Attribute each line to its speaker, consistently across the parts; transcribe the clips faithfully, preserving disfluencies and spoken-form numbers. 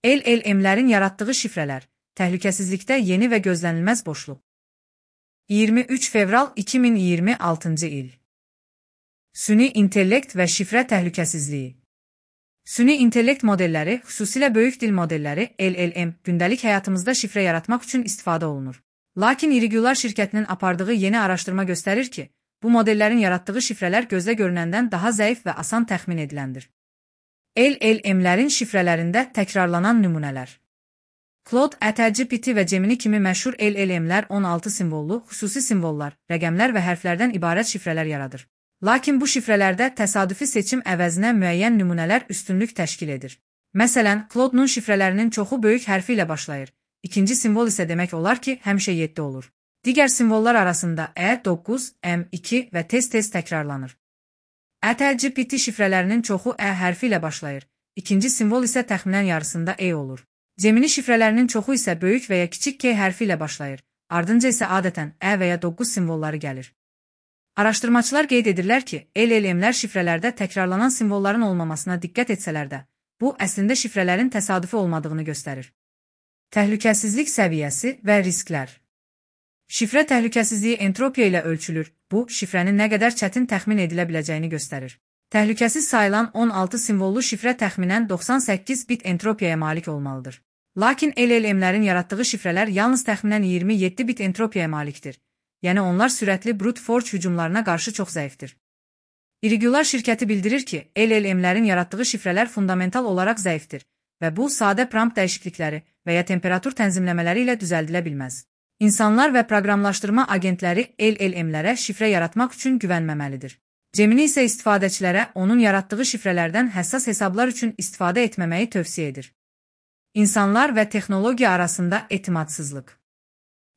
Speaker 1: L L M'lərin yaratdığı şifrələr, təhlükəsizlikdə yeni və gözlənilməz boşluq. iyirmi üç fevral iki min iyirmi altıncı il. Süni intellekt və şifrə təhlükəsizliyi. Süni intellekt modelləri, xüsusilə böyük dil modelləri L L M, gündəlik həyatımızda şifrə yaratmaq üçün istifadə olunur. Lakin Irregular şirkətinin apardığı yeni araşdırma göstərir ki, bu modellərin yaratdığı şifrələr gözlə görünəndən daha zəif və asan təxmin ediləndir. L L M'lərin şifrələrində təkrarlanan nümunələr. Claude, ChatGPT və Gemini kimi məşhur L L M'lər on altı simvollu, xüsusi simvollar, rəqəmlər və hərflərdən ibarət şifrələr yaradır. Lakin bu şifrələrdə təsadüfi seçim əvəzinə müəyyən nümunələr üstünlük təşkil edir. Məsələn, Claude-nun şifrələrinin çoxu böyük hərfi ilə başlayır. İkinci simvol isə demək olar ki, həmişə yeddi olur. Digər simvollar arasında E, doqquz, M, iki və tez-tez təkrarlanır. ChatGPT şifrələrinin çoxu E hərfi ilə başlayır. İkinci simvol isə təxminən yarısında E olur. Gemini şifrələrinin çoxu isə böyük və ya kiçik K hərfi ilə başlayır. Ardınca isə adətən E və ya doqquz simvolları gəlir. Araşdırmaçılar qeyd edirlər ki, L L M'lər şifrələrdə təkrarlanan simvolların olmamasına diqqət etsələr də, bu əslində şifrələrin təsadüfi olmadığını göstərir. Təhlükəsizlik səviyyəsi və risklər. Şifrə təhlükəsizliyi entropiya ilə ölçülür. Bu, şifrənin nə qədər çətin təxmin edilə biləcəyini göstərir. Təhlükəsiz sayılan on altı simvollu şifrə təxminən doxsan səkkiz bit entropiyaya malik olmalıdır. Lakin L L M'lərin yaratdığı şifrələr yalnız təxminən iyirmi yeddi bit entropiyaya malikdir. Yəni onlar sürətli brute force hücumlarına qarşı çox zəifdir. Irregular şirkəti bildirir ki, L L M'lərin yaratdığı şifrələr fundamental olaraq zəifdir və bu, sadə prompt dəyişiklikləri və ya temperatur tənzimləmələri ilə düzəldilə bilməz. İnsanlar və proqramlaşdırma agentləri L L M'lərə şifrə yaratmaq üçün güvənməməlidir. Gemini isə istifadəçilərə onun yaratdığı şifrələrdən həssas hesablar üçün istifadə etməməyi tövsiyə edir. İnsanlar və texnologiya arasında etimadsızlıq.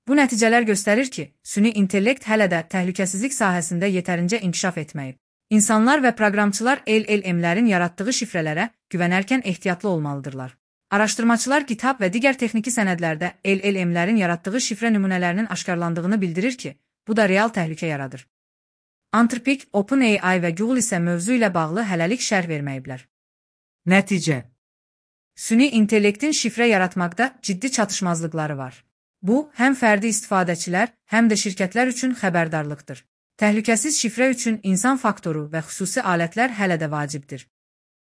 Speaker 1: Bu nəticələr göstərir ki, süni intellekt hələ də təhlükəsizlik sahəsində yetərincə inkişaf etməyib. İnsanlar və proqramçılar L L M'lərin yaratdığı şifrələrə güvənərkən ehtiyatlı olmalıdırlar. Araşdırmaçılar GitHub və digər texniki sənədlərdə L L M'lərin yaratdığı şifrə nümunələrinin aşkarlandığını bildirir ki, bu da real təhlükə yaradır. Anthropic, OpenAI və Google isə mövzu ilə bağlı hələlik şərh verməyiblər. Nəticə. Süni intellektin şifrə yaratmaqda ciddi çatışmazlıqları var. Bu, həm fərdi istifadəçilər, həm də şirkətlər üçün xəbərdarlıqdır. Təhlükəsiz şifrə üçün insan faktoru və xüsusi alətlər hələ də vacibdir.